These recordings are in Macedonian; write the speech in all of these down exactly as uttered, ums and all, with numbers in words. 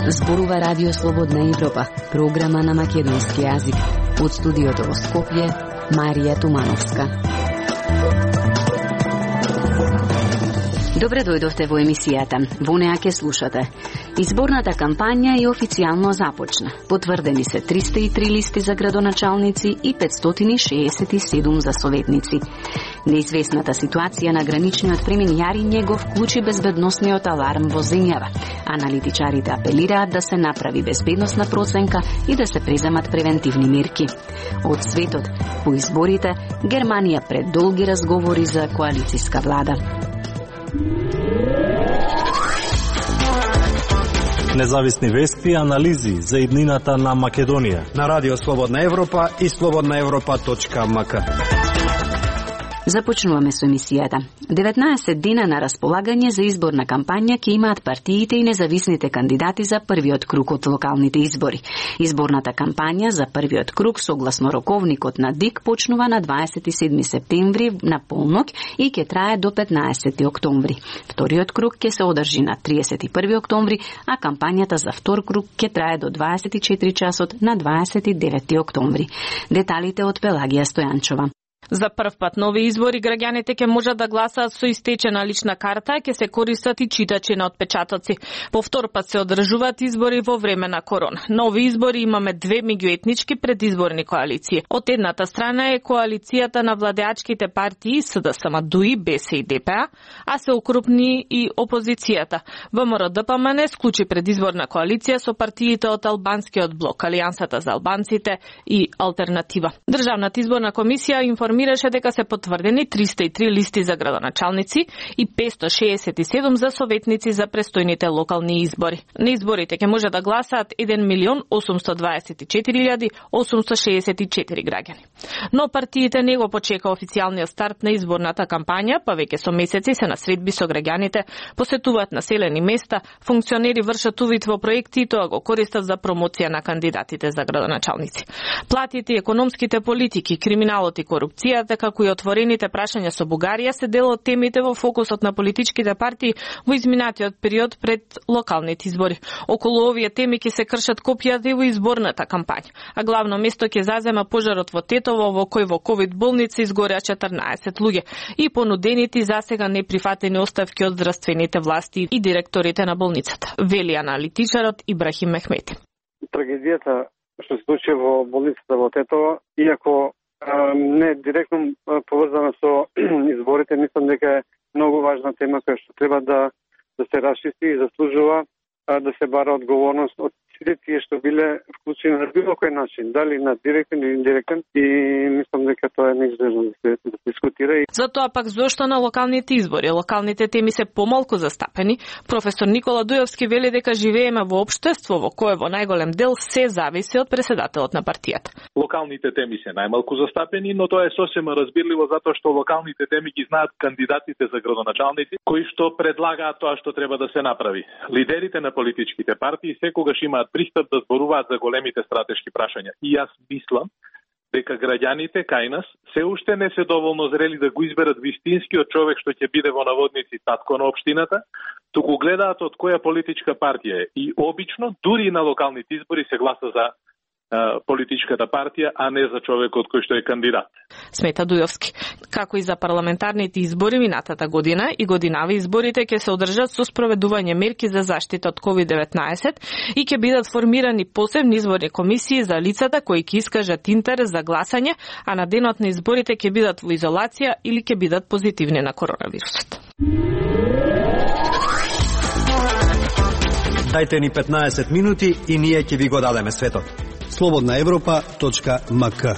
Зборува Радио Слободна Европа, програма на македонски јазик. Од студиото во Скопје, Марија Тумановска. Добре дојдовте во емисијата. Во неа ќе слушате. Изборната кампања е официјално започна. Потврдени се триста и три листи за градоначалници и петстотини шеесет и седум за советници. Неизвестната ситуација на граничниот премин Јариње го вклучи безбедносниот аларм во земјава. Аналитичарите апелираат да се направи безбедносна проценка и да се преземат превентивни мерки. Од светот, по изборите, Германија пред долги разговори за коалициска влада. Независни вести и анализи за иднината на Македонија на Радио Слободна Европа и слободна европа точка ем ка. Започнуваме со емисијата. деветнаесет дена на располагање за изборна кампања ќе имаат партиите и независните кандидати за првиот круг од локалните избори. Изборната кампања за првиот круг согласно роковникот на ДИК почнува на дваесет и седми септември на полнок и ќе трае до петнаесети октомври. Вториот круг ќе се одржи на триесет и први октомври, а кампањата за втор круг ќе трае до дваесет и четири часот на дваесет и девети октомври. Деталите од Пелагија Стојанчова. За прв пат на овие избори граѓаните ќе можат да гласаат со истечена лична карта, ќе се користат и читачи на отпечатоци. По втор пат се одржуваат избори во време на корона. На овие избори имаме две меѓуетнички предизборни коалиции. Од едната страна е коалицијата на владеачките партии С Д С М Д У И, Б С и Д П А, а се укрупни и опозицијата. В М Р Д П М Н склучи предизборна коалиција со партиите од Албанскиот блок, Алијансата за албанците и Алтернатива. Државната изборна комисија информира Мираше дека се потврдени триста и три листи за градоначалници и петстотини шеесет и седум за советници за престојните локални избори. На изборите ќе може да гласаат еден милион осумстотини дваесет и четири илјади осумстотини шеесет и четири граѓани. Но партиите не го почека официјалниот старт на изборната кампања, па веќе со месеци се на средби со граѓаните, посетуваат населени места, функционери вршат увид во проекти и тоа го користат за промоција на кандидатите за градоначалници. Платите, економските политики, криминалот и корупција, како и отворените прашања со Бугарија се дел од темите во фокусот на политичките партии во изминатиот период пред локалните избори. Околу овие теми ќе се кршат копијата и во изборната кампања, а главно место ќе зазема пожарот во Тетово, во кој во ковид болница изгореа четрнаесет луѓе и понудените засега неприфатени оставки од здравствените власти и директорите на болницата, вели аналитичарот Ибрахим Мехмети. Трагедијата што се случи во болницата во Тетово, иако не директно поврзана со изборите, мислам дека е многу важна тема која што треба да да се расчисти и заслужува да се бара одговорност од сите тие што биле вклучени на било кој начин, дали на директен или индиректен, и мислам дека тоа е неизбежно да се да дискутира. Затоа пак зошто на локалните избори локалните теми се помалку застапени, професор Никола Дујовски вели дека живееме во општество во кое во најголем дел се зависи од преседателот на партијата. Локалните теми се најмалку застапени, но тоа е сосема разбирливо затоа што локалните теми ги знаат кандидатите за градоначалници кои што предлагаат тоа што треба да се направи. Лидерите на политичките партии секогаш имаат пристап да зборуваат за големите стратешки прашања. И јас мислам дека граѓаните кај нас се уште не се доволно зрели да го изберат вистинскиот човек што ќе биде во наводници татко на општината, туку гледаат од која политичка партија е. И обично, дури на локалните избори се гласа за политичката партија, а не за човекот кој што е кандидат. Смета Дујовски. Како и за парламентарните избори минатата година и годинави изборите ќе се одржат со спроведување мерки за заштита од ковид деветнаесет и ќе бидат формирани посебни изборни комисии за лицата кои ќе искажат интерес за гласање, а на денот на изборите ќе бидат во изолација или ќе бидат позитивни на коронавирусот. Дајте ни петнаесет минути и ние ќе ви го дадеме светот. слободна европа точка ем ка.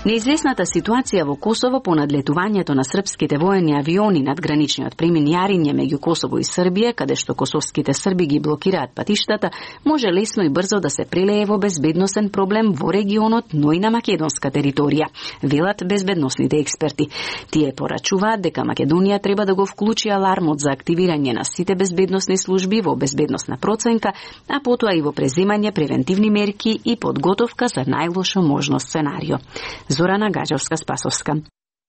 Неизвестната ситуација во Косово по надлетувањето на српските воени авиони над граничниот премин Јариње меѓу Косово и Србија, каде што косовските срби ги блокираат патиштата, може лесно и брзо да се прелее во безбедносен проблем во регионот, но и на македонска територија, велат безбедносните експерти. Тие порачуваат дека Македонија треба да го вклучи алармот за активирање на сите безбедносни служби во безбедносна проценка, а потоа и во преземање превентивни мерки и подготовка за најлошо можно сценарио. Зорана Гаџевска-Спасовска.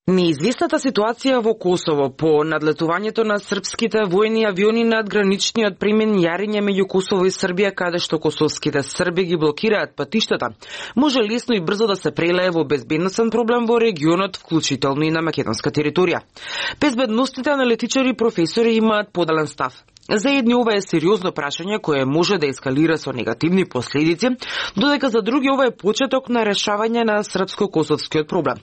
Неизвестната ситуација во Косово по надлетувањето на српските војни авиони над граничниот премен Јариње меѓу Косово и Србија, каде што косовските срби ги блокираат патиштата, може лесно и брзо да се прелее во безбедносен проблем во регионот, вклучително и на македонска територија. Безбедностните аналитичари и професори имаат поделен став. За едни ова е сериозно прашање кое може да ескалира со негативни последици, додека за други ова е почеток на решавање на српско-косовскиот проблем.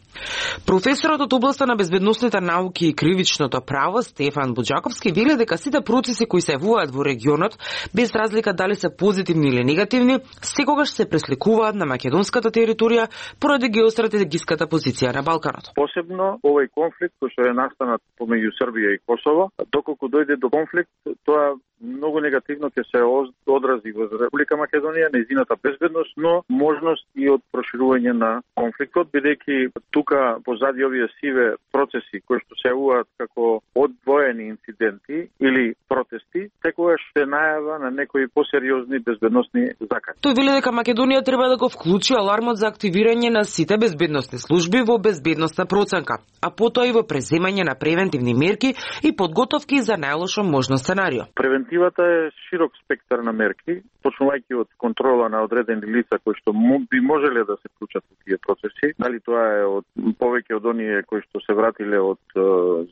Професорот од областа на безбедносните науки и кривичното право Стефан Буџаковски вели дека сите процеси кои се јавуваат во регионот, без разлика дали се позитивни или негативни, секогаш се пресликуваат на македонската територија поради геостратегиската позиција на Балканот. Посебно овој конфликт кој што е настанат помеѓу Србија и Косово, доколку дојде до конфликт, тоа многу негативно ќе се одрази во Република Македонија, нејзината безбедност, но можност и од проширување на конфликтот, бидејќи тука позади овие сиве процеси кои што се јавуваат како одвоени инциденти или протести, секогаш се најава на некои посериозни безбедносни закани. Тој вели дека Македонија треба да го вклучи алармот за активирање на сите безбедносни служби во безбедносна проценка, а потоа и во преземање на превентивни мерки и подготовки за најлошо можно сценарио. Превентивата е широк спектар на мерки, почнувајќи од контрола на одредени лица кои што би можеле да се вклучат во тие процеси, дали тоа е од повеќе од оние кои што се вратиле од е,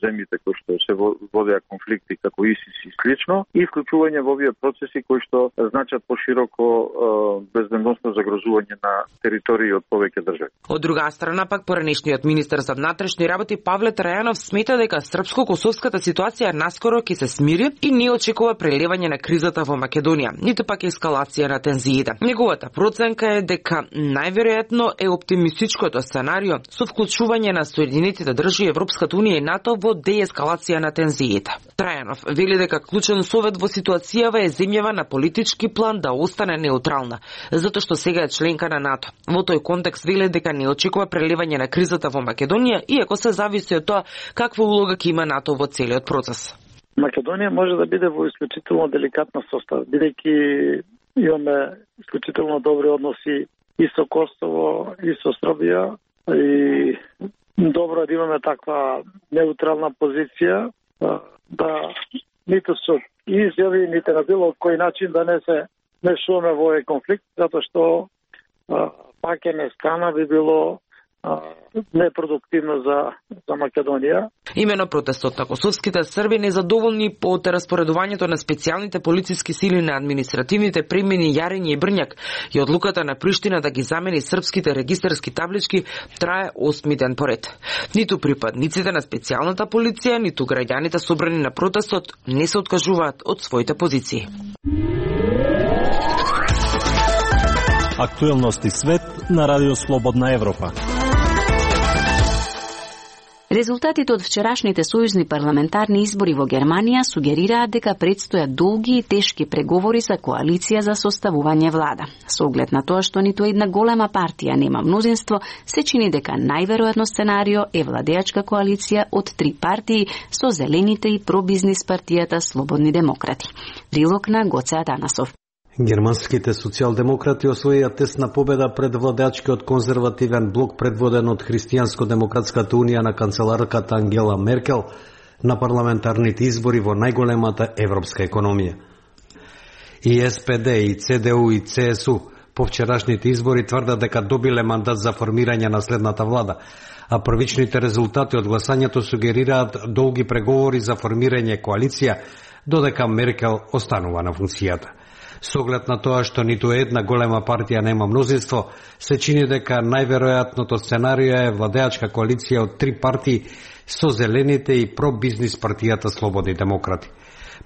земјите кои што се водеа конфликти како ИСИС и слично, и вклучување во овие процеси кои што значат пошироко е, безбедносно загрозување на територии од повеќе држави. Од друга страна пак поранешниот министер за внатрешни работи Павле Трајанов смета дека српско-косовската ситуација наскоро ќе се смири и не очекува прелевање на кризата во Македонија, ниту пак ескалација на тензиите. Неговата проценка е дека најверојатно е оптимистичкото сценарио со вклучување на Соединетите држави, Европската унија и НАТО во деескалација на тензиите. Трајанов вели дека клучен совет во ситуацијава е земјава на политички план да остане неутрална, затоа што сега е членка на НАТО. Во тој контекст вели дека не очекува прелевање на кризата во Македонија, иако се зависи од тоа каква улога ќе има НАТО во целиот процес. Македонија може да биде во исклучително деликатна состав, бидејќи имаме исклучително добри односи и со Косово, и со Србија, и добро да имаме таква неутрална позиција, да ниту со изјави, ниту на било кој начин да не се мешуваме во овој конфликт, затоа што паќање страна би било непродуктивно за, за Македонија. Имено протестот на косовските срби незадоволни од распоредувањето на специјалните полициски сили на административните премини Јариње и Брњак и одлуката на Приштина да ги замени српските регистарски таблички трае осми ден поред. Ниту припадниците на специјалната полиција, ниту граѓаните собрани на протестот не се откажуваат од своите позиции. Актуелности свет на Радио Слободна Европа. Резултатите од вчерашните сојузни парламентарни избори во Германија сугерираат дека предстојат долги и тешки преговори за коалиција за составување влада. Со оглед на тоа што ниту една голема партија нема мнозинство, се чини дека најверојатно сценарио е владеачка коалиција од три партии со Зелените и пробизнис партијата Слободни демократи. Прилог на Гоце Атанасов. Германските социјалдемократи освоија тесна победа пред владеачкиот конзервативен блок предводен од Христијанско-демократската унија на канцеларката Ангела Меркел на парламентарните избори во најголемата европска економија. И Ес Пе Де, и Це Де У, и Це Ес У по вчерашните избори тврдат дека добиле мандат за формирање на следната влада, а првичните резултати од гласањето сугерираат долги преговори за формирање коалиција, додека Меркел останува на функцијата. Со оглед на тоа што ниту една голема партија нема мнозинство, се чини дека најверојатното сценарио е владеачка коалиција од три партии со Зелените и пробизнис партијата Слободни демократи.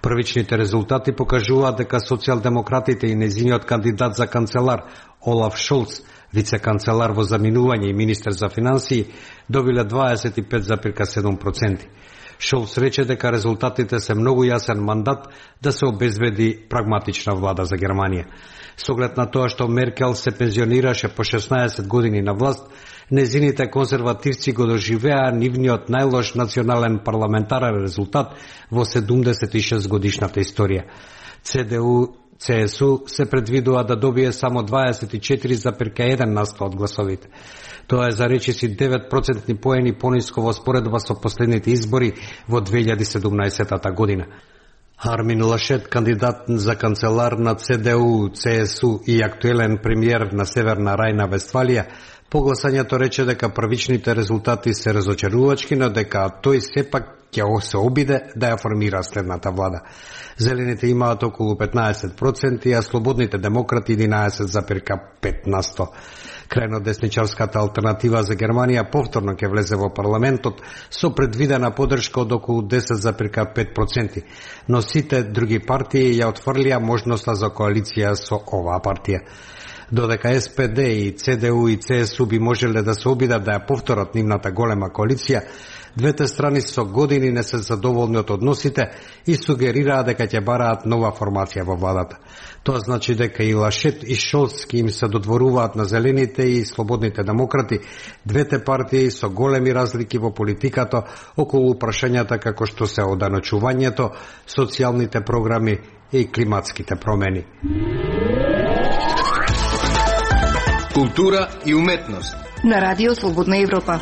Првичните резултати покажуваат дека социјалдемократите и нејзиниот кандидат за канцелар Олаф Шолц, вице-канцелар во заминување и министер за финансии, добиле дваесет и пет зарез седум проценти. Шолц рече дека резултатите се многу јасен мандат да се обезбеди прагматична влада за Германија. Со оглед на тоа што Меркел се пензионираше по шеснаесет години на власт, незините конзервативци го доживеа нивниот најлош национален парламентарен резултат во седумдесет и шест годишната историја. Це де у Це Ес У се предвидува да добие само дваесет и четири зарез еден на сто од гласовите. Тоа е за речиси девет процентни поени пониско во споредба со последните избори во две илјади и седумнаесета година. Армин Лашет, кандидат за канцелар на Це Де У, Це Ес У и актуелен премиер на Северна Рајна Вестфалија, по гласањето рече дека првичните резултати се разочарувачки, но дека тој сепак ќе се обиде да ја формира следната влада. Зелените имаат околу петнаесет проценти, а слободните демократи единаесет зарез пет на сто. Крајно десничарската алтернатива за Германија повторно ќе влезе во парламентот со предвидена поддршка од околу десет зарез пет проценти, но сите други партии ја отфрлија можноста за коалиција со оваа партија. Додека Ес Пе Де и Це Де У и Це Ес У би можеле да се обидат да ја повторат нивната голема коалиција, двете страни со години не се задоволни од односите и сугерираа дека ќе бараат нова формација во владата. Тоа значи дека и Лашет и Шолц им се додворуваат на зелените и слободните демократи, двете партии со големи разлики во политиката околу прашањата како што се оданочувањето, социјалните програми и климатските промени. Култура и уметност на Радио Слободна Европа.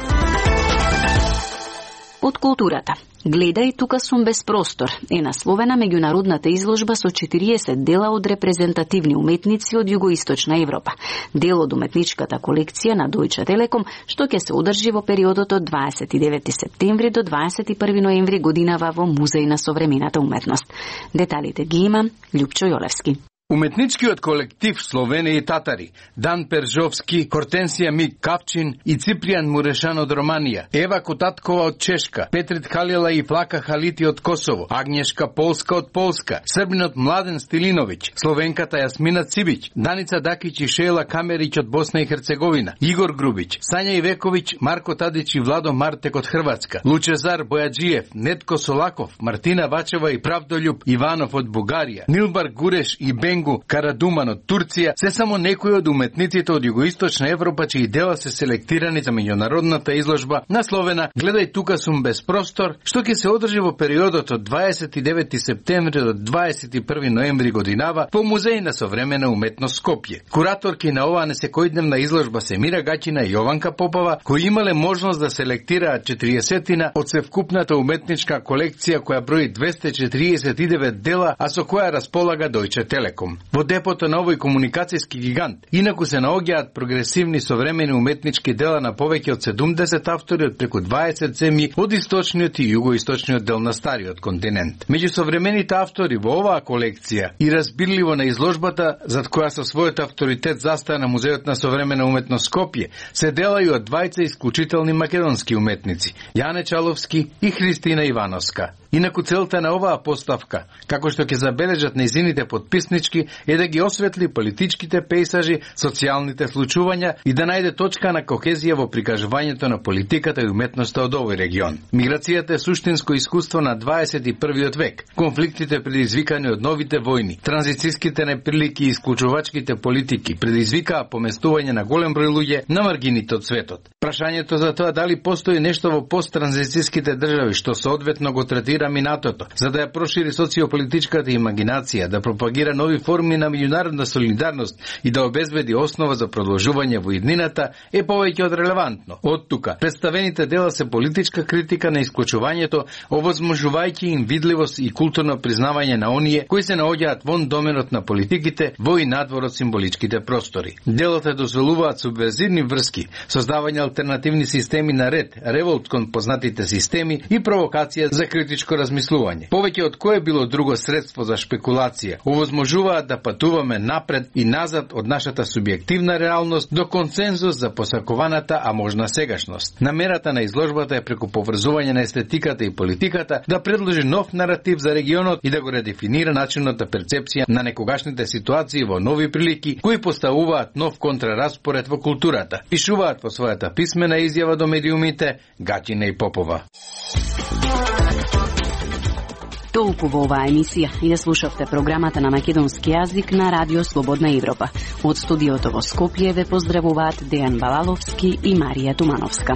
Од културата. Гледај, тука сум без простор е насловена меѓународната изложба со четириесет дела од репрезентативни уметници од југоисточна Европа. Дел од уметничката колекција на Дојче Телеком, што ќе се одржи во периодот од дваесет и девети септември до дваесет и први ноември годинава во Музеј на современата уметност. Деталите ги има Љупчо Јолевски. Уметничкиот колектив Словени и Татари, Дан Пержовски, Хортенсија Мик Кавчин и Ципријан Мурешан од Романија, Ева Котаткова од Чешка, Петрит Халила и Флака Халити од Косово, Агнешка Полска од Полска, Србинот Младен Стилиновиќ, Словенката Јасмина Цибиќ, Даница Дакиќ и Шејла Камериќ од Босна и Херцеговина, Игор Грубиќ, Сања Ивековиќ, Марко Тадиќ и Владо Мартек од Хрватска, Лучезар Бојаджиев, Нетко Солаков, Мартина Вачева и Правдолјуб Иванов од Бугарија, Нилбар Гуреш и Бен Карадуман од Турција се само некои од уметниците од југоисточна Европа чии дела се селектирани за меѓународната изложба насловена Гледај, тука сум без простор, што ќе се одржи во периодот од дваесет и девети септември до дваесет и први ноември годинава во Музеј на современа уметност Скопје. Кураторки на оваа несекојдневна изложба се Мира Гачина и Јованка Попова, кои имале можност да селектираат четириесетина од севкупната уметничка колекција која брои двесте четириесет и девет дела, а со која располага Дојче Телеком. Во депото на овој комуникацијски гигант, инаку се наоѓаат прогресивни современи уметнички дела на повеќе од седумдесет автори од преку дваесет земји од источниот и југоисточниот дел на стариот континент. Меѓу современите автори во оваа колекција и разбирливо на изложбата, зад која со својот авторитет застана Музејот на современа уметност Скопје, се дела и од двајца исклучителни македонски уметници, Јане Чаловски и Христина Ивановска. Инаку целта на оваа поставка, како што ќе забележат нејзините подписнички, е да ги осветли политичките пейсажи, социјалните случувања и да најде точка на кохезија во прикажувањето на политиката и уметноста од овој регион. Миграцијата е суштинско искуство на дваесет и првиот век. Конфликтите предизвикани од новите војни, транзицијските неприлики и исклучувачките политики предизвикаа поместување на голем број луѓе на маргините од светот. Прашањето за тоа дали постои нешто во посттранзицијските држави што соодветно го третира минатото, за да ја прошири социополитичката имагинација, да пропагира нови форми на меѓународна солидарност и да обезбеди основа за продолжување во иднината, е повеќе од релевантно. Од тука, представените дела се политичка критика на исклучувањето, овозможувајќи им видливост и културно признавање на оние кои се наоѓаат вон доменот на политиките во и надвор од символичките простори. Делата дозволуваат субверзивни врски, создавање алтернативни системи на ред, револт кон познатите системи и провокација за критичко размислување. Повеќе од кое било друго средство за шпекулација, овозможуваат да патуваме напред и назад од нашата субјективна реалност до консензус за посакуваната, а можна сегашност. Намерата на изложбата е преку поврзување на естетиката и политиката да предложи нов наратив за регионот и да го редефинира начинот на перцепција на некогашните ситуации во нови прилики кои поставуваат нов контрараспоред во културата. Пишуваат во својата писмена изјава до медиумите Гачина и Попова. Толку во оваа емисија. Ја слушавте програмата на македонски јазик на Радио Слободна Европа. Од студиото во Скопје ве поздравуваат Дејан Балаловски и Марија Тумановска.